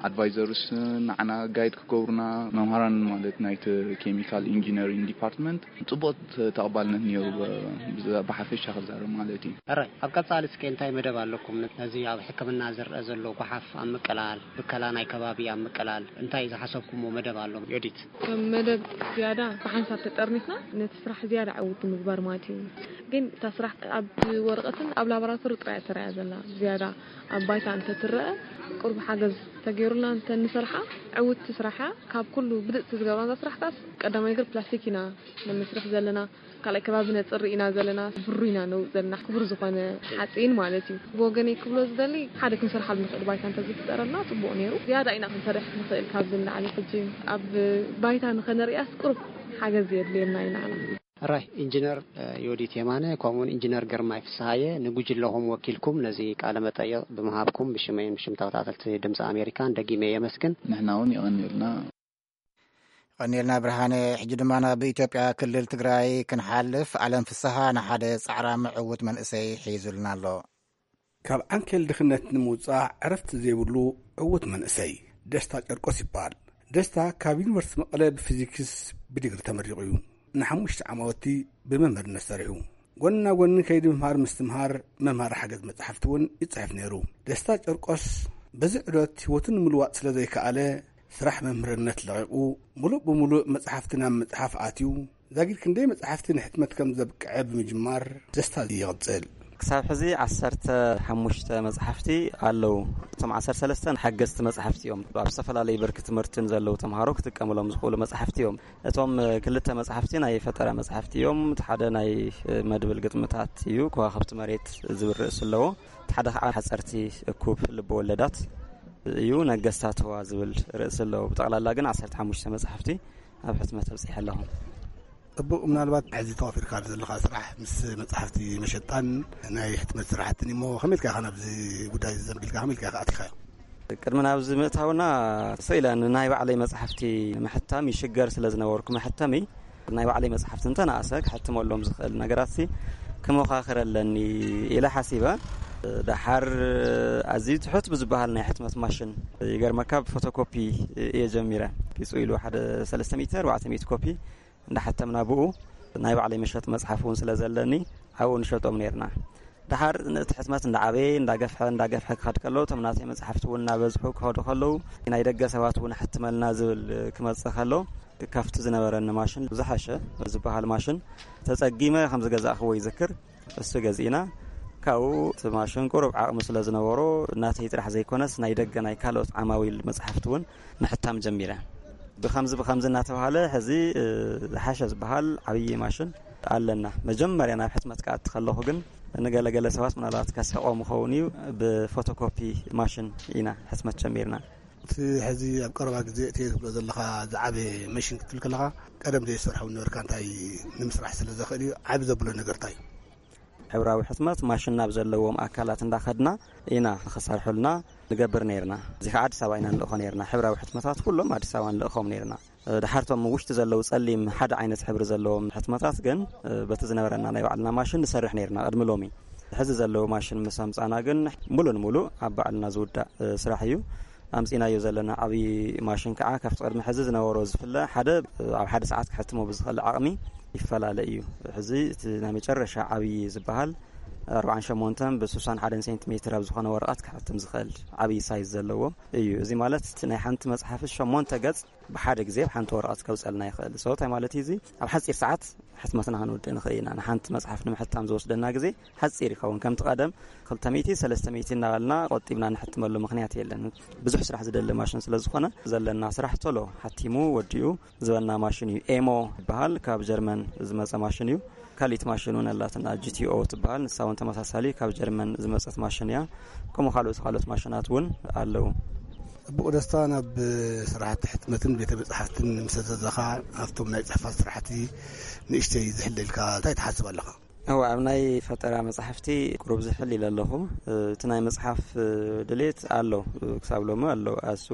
ኣድቫይዘርስ ንዓና ጋይድ ክገብሩና መምሃራን ማለት ናይቲ ኬሚካል ኢንጂነሪንግ ዲፓርትመንት ፅቡቕ ተቐባልነት ነይሩ ብሓፈሻ ክዛረብ ማለት እዩ። ሕራይ ኣብ ቀፃሊ እስከ እንታይ መደብ ኣለኩም ነዚ ኣብ ሕክምና ዝረአ ዘሎ ጓሓፍ ኣብ ምቅላል ብከላ ናይ ከባቢ ኣብ ምቅላል እንታይ ዝሓሰብኩምዎ መደብ ኣሎ ዮዲት? ከም መደብ ዝያዳ ብሓንሳብ ተጠርኒፍና ነቲ ስራሕ ዝያዳ ዕውት ንምግባር ማለት እዩ። ግን እታ ስራሕ ኣብ ወረቐትን ኣብ ላቦራቶሪ ጥራይ እያ ተራእያ ዘላ። ዝያዳ ኣብ ባይታ እንተትረአ ቁሩብ ሓገዝ ተገይሩላ እንተ ንሰርሓ ዕውቲ ስራሕ እያ። ካብ ኩሉ ብልፅቲ ዝገብራ እዛ ስራሕ ካስ ቀዳማይ ነገር ፕላስቲክ ኢና ነመስርሕ ዘለና። ካልኣይ ከባቢ ነፅሪ ኢና ዘለና፣ ብሩ ኢና ነውፅ ዘለና፣ ክቡር ዝኾነ ሓፂን ማለት እዩ። ብወገነይ ክብሎ ዝደሊ ሓደ ክንሰርሓሉ ንኽእል ባይታ እንተዝፍጠረልና ፅቡቕ ነይሩ። ዝያዳ ኢና ክንሰርሕ ንኽእል ካብዚ ንላዕሊ። ሕጂ ኣብ ባይታ ንኸነርእያስ ቁሩብ ሓገዝ የድልየና እዩ ንዓና። ሕራይ ኢንጂነር ዮዲት የማነ ከምኡውን ኢንጂነር ግርማይ ፍስሃየ ንጉጅለኹም ወኪልኩም ነዚ ቃለ መጠይቕ ብምሃብኩም ብሽመይን ብሽም ተኸታተልቲ ድምፂ ኣሜሪካን ደጊመ የመስግን። ንሕና እውን የቐንየልና። የቐንየልና ብርሃነ። ሕጂ ድማ ናብ ኢትዮጵያ ክልል ትግራይ ክንሓልፍ። ኣለም ፍስሃ ንሓደ ጻዕራሚ ዕዉት መንእሰይ ሒዙልና ኣሎ። ካብ ዓንኬል ድኽነት ንምውጻእ ዕረፍቲ ዘይብሉ ዕዉት መንእሰይ ደስታ ጨርቆስ ይበሃል። ደስታ ካብ ዩኒቨርሲቲ መቐለ ብፊዚክስ ብዲግሪ ተመሪቑ እዩ። ንሓሙሽተ ዓማውቲ ብመምህርነት ሰሪሑ። ጎኒ ናብ ጎኒ ከይዲ ምምሃር ምስትምሃር መምሃሪ ሓገዝ መጻሕፍቲ እውን ይጽሕፍ ነይሩ። ደስታ ጨርቆስ በዚ ዕዶት ህይወቱ ንምልዋጥ ስለ ዘይከኣለ፣ ስራሕ መምህርነት ለቒቑ፣ ሙሉእ ብሙሉእ መጻሕፍቲ ናብ ምጽሓፍ ኣትዩ፣ ዛጊድ ክንደይ መጻሕፍቲ ንሕትመት ከም ዘብቅዐ ብምጅማር ደስታ ይቕጽል። ክሳብ ሕዚ ዓሰርተ ሓሙሽተ መጻሕፍቲ ኣለዉ። እቶም ዓሰርተ ሰለስተ ሓገዝቲ መጻሕፍቲ እዮም። ኣብ ዝተፈላለዩ ብርኪ ትምህርትን ዘለዉ ተምሃሮ ክጥቀምሎም ዝኽእሉ መጻሕፍቲ እዮም። እቶም ክልተ መጻሕፍቲ ናይ ፈጠራ መጻሕፍቲ እዮም። እቲ ሓደ ናይ መድብል ግጥምታት እዩ፣ ከዋኽብቲ መሬት ዝብል ርእሲ ኣለዎ። እቲ ሓደ ከዓ ሓጸርቲ እኩብ ልበ ወለዳት እዩ፣ ነገስታት ህዋ ዝብል ርእሲ ኣለዎ። ብጠቕላላ ግን ዓሰርተ ሓሙሽተ መጻሕፍቲ ኣብ ሕትመት ኣብጺሐ ኣለኹ። ጽቡቕ፣ ምናልባት ሕዚ ተዋፊርካ ዘለኻ ስራሕ ምስ መጻሕፍቲ መሸጣን ናይ ሕትመት ስራሕትን እሞ ከመይ ኢልካ ኢኻ ናብዚ ጉዳይ ዘንቢልካ፣ ከመይ ኢልካ ኢኻ ኣቲኻዮ? ቅድሚ ናብዚ ምእታውና ስኢለ ንናይ ባዕለይ መጻሕፍቲ ምሕታም ይሽገር ስለ ዝነበርኩ፣ መሐተሚ ናይ ባዕለይ መጻሕፍቲ እንተነኣሰ ክሕትመሎም ዝኽእል ነገራት ሲ ክመኻኽር ኣለኒ ኢለ ሓሲበ። ደሓር ኣዝዩ ትሑት ብዝበሃል ናይ ሕትመት ማሽን፣ ይገርመካ፣ ብፎቶኮፒ እየ ጀሚረ። ቢጹ ኢሉ ሓደ ሰለስተ ሚእቲ፣ ኣርባዕተ ሚእቲ ኮፒ እንዳሓተምና፣ ብኡ ናይ ባዕለይ መሸጢ መጽሓፍ እውን ስለ ዘለኒ ኣብኡ ንሸጦም ነይርና። ደሓር እቲ ሕትመት እንዳዓበየ፣ እንዳገፍሐ፣ እንዳገፍሐ ክኸድ ከሎ፣ እቶም ናተይ መጽሓፍቲ እውን እናበዝሑ ክኸዱ ከለዉ፣ ናይ ደገ ሰባት እውን ኣሕትመልና ዝብል ክመጽእ ከሎ፣ ካብቲ ዝነበረኒ ማሽን ዝሓሸ ዝበሃል ማሽን ተጸጊመ ከም ዝገዛእኽዎ ይዝክር። እሱ ገዚእና፣ ካብኡ እቲ ማሽን ቁሩብ ዓቕሚ ስለ ዝነበሮ፣ ናተይ ጥራሕ ዘይኮነስ ናይ ደገ ናይ ካልኦት ዓማዊል መጽሓፍቲ እውን ምሕታም ጀሚረ። ብኸምዚ ብኸምዚ እናተባህለ ሕዚ፣ እ፣ ዝሓሸ ዝበሃል ዓብዪ ማሽን ኣለና። መጀመርያ ናብ ሕትመት ክኣቲ ከለኹ ግን ንገለገለ ሰባት ምናልባት ከስሕቖም ይኸውን እዩ፣ ብፎቶኮፒ ማሽን ኢና ሕትመት ጀሚርና። እቲ ሕዚ ኣብ ቀረባ ግዜ እቲ ትብሎ ዘለኻ ዝዓበየ መሽን ክትብል ከለኻ፣ ቀደም ዘይሰርሖ ነበርካ፣ እንታይ ንምስራሕ ስለ ዘኽእል እዩ፣ ዓቢ ዘብሎ ነገር እንታይ እዩ? ሕብራዊ ሕትመት ማሽን ናብ ዘለዎም ኣካላት እንዳኸድና ኢና ክሰርሑልና ንገብር ነይርና። እዚ ከዓ ኣዲስ ኣበባ ኢና ንልእኾ ነይርና። ሕብራዊ ሕትመታት ኩሎም ኣዲስ ኣበባ ንልእኾም ነይርና። ድሓርቶም ውሽጢ ዘለዉ ጸሊም ሓደ ዓይነት ሕብሪ ዘለዎም ሕትመታት ግን በቲ ዝነበረና ናይ ባዕልና ማሽን ንሰርሕ ነይርና ቅድሚ ሎሚ። ሕዚ ዘለዉ ማሽን ምስ ኣምጻና ግን ሙሉ ንሙሉ ኣብ ባዕልና ዝውዳእ ስራሕ እዩ። ኣምጺናዮ ዘለና ዓብዪ ማሽን ከዓ ካብቲ ቅድሚ ሕዚ ዝነበሮ ዝፍለ ሓደ ኣብ ሓደ ሰዓት ክሕትሞ ብዝኽእል ዓቕሚ ይፈላለ እዩ። ሕዚ እቲ ናይ መጨረሻ ዓብዪ ዝበሃል ኣርባዓን ሸሞንተን ብስሳን ሓደን ሴንቲሜትር ኣብ ዝኾነ ወረቐት ክሕትም ዝኽእል ዓብዪ ሳይዝ ዘለዎ እዩ። እዚ ማለት እቲ ናይ ሓንቲ መጽሓፍ ሸሞንተ ገጽ ብሓደ ግዜ ኣብ ሓንቲ ወረቐት ከውጸልና ይኽእል። So እንታይ ማለት እዩ እዚ? ኣብ ሓጺር ሰዓት ሕትመትና ክንውድእ ንኽእል ኢና። ንሓንቲ መጽሓፍ ንምሕታም ዝወስደና ግዜ ሓጺር ይኸውን። ከምቲ ቀደም ክልተ ሚእቲ፣ ሰለስተ ሚእቲ እናበልና ቆጢብና ንሕትመሉ ምኽንያት የለን። ብዙሕ ስራሕ ዝደሊ ማሽን ስለ ዝኾነ ዘለና ስራሕ ቶሎ ሓቲሙ ወዲኡ ዝበና ማሽን እዩ። ኤሞ ይበሃል፣ ካብ ጀርመን ዝመጸ ማሽን እዩ። ካሊት ማሽን እውን ኣላትና፣ ጂ ቲ ኦ ትበሃል፣ ንሳ እውን ተመሳሳሊ ካብ ጀርመን ዝመጸት ማሽን እያ። ከምኡ ካልኦት ካልኦት ማሽናት እውን ኣለዉ። ጽቡቕ ደስታ፣ ናብ ስራሕቲ ሕትመትን ቤተ መጻሕፍትን ምስ ዘለኻ፣ ኣብቶም ናይ ጽሕፈት ስራሕቲ ንእሽተይ ዝሕለልካ እንታይ ትሓስብ ኣለኻ? እወ፣ ኣብ ናይ ፈጠራ መጻሕፍቲ ቁሩብ ዝሕል ኢለ ኣለኹ። እቲ ናይ መጽሓፍ ድሌት ኣሎ፣ ክሳብ ሎሚ ኣሎ። ኣሱ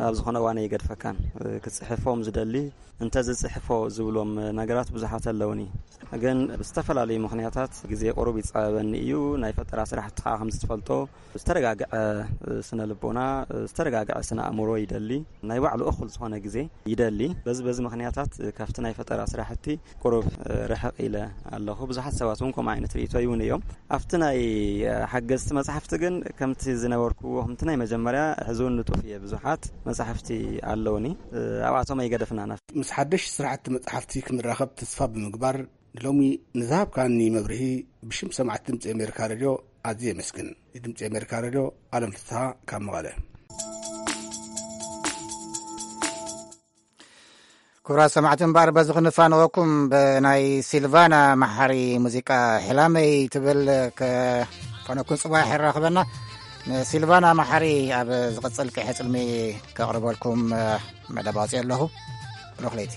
ኣብ ዝኾነ እዋን ኣይገድፈካን። ክጽሕፎም ዝደሊ፣ እንተ ዝጽሕፎ ዝብሎም ነገራት ብዙሓት ኣለውኒ። ግን ብዝተፈላለዩ ምኽንያታት ግዜ ቁሩብ ይጻበበኒ እዩ። ናይ ፈጠራ ስራሕቲ ከዓ ከም ዝትፈልጦ ዝተረጋግዐ ስነ ልቦና፣ ዝተረጋግዐ ስነ ኣእምሮ ይደሊ። ናይ ባዕሉ እኹል ዝኾነ ግዜ ይደሊ። በዚ በዚ ምኽንያታት ካብቲ ናይ ፈጠራ ስራሕቲ ቁሩብ ርሕቕ ኢለ ኣለኹ። ብዙሓት ሰባት እውን ከምኡ ዓይነት ርእይቶ ይውን እዮም። ኣብቲ ናይ ሓገዝቲ መጻሕፍቲ ግን ከምቲ ዝነበርኩዎ፣ ከምቲ ናይ መጀመርያ፣ ሕዚ እውን ንጡፍ እየ። ብዙሓት መጻሕፍቲ ኣለውኒ። ኣብኣቶም ኣይገደፍናን። ምስ ሓደሽ ስራሕቲ መጻሕፍቲ ክንራኸብ ተስፋ ብምግባር፣ ንሎሚ ንዝሃብካኒ መብርሂ ብሽም ሰማዕቲ ድምጺ ኣሜሪካ ሬድዮ ኣዝየ የመስግን። ንድምጺ ኣሜሪካ ሬድዮ፣ ኣለም ፍስሃ ካብ መቐለ። ክቡራት ሰማዕቲ፣ እምበኣር በዚ ክንፋንወኩም ብናይ ሲልቫና መሓሪ ሙዚቃ ሕላመይ ትብል ከፋንወኩም። ጽባሕ የራኽበና። ንሲልቫና መሓሪ ኣብ ዝቕጽል ቀይሐ ጽልሚ ከቕርበልኩም መደብ ኣውፅኦ ኣለኹ። ብሩኽ ለይቲ።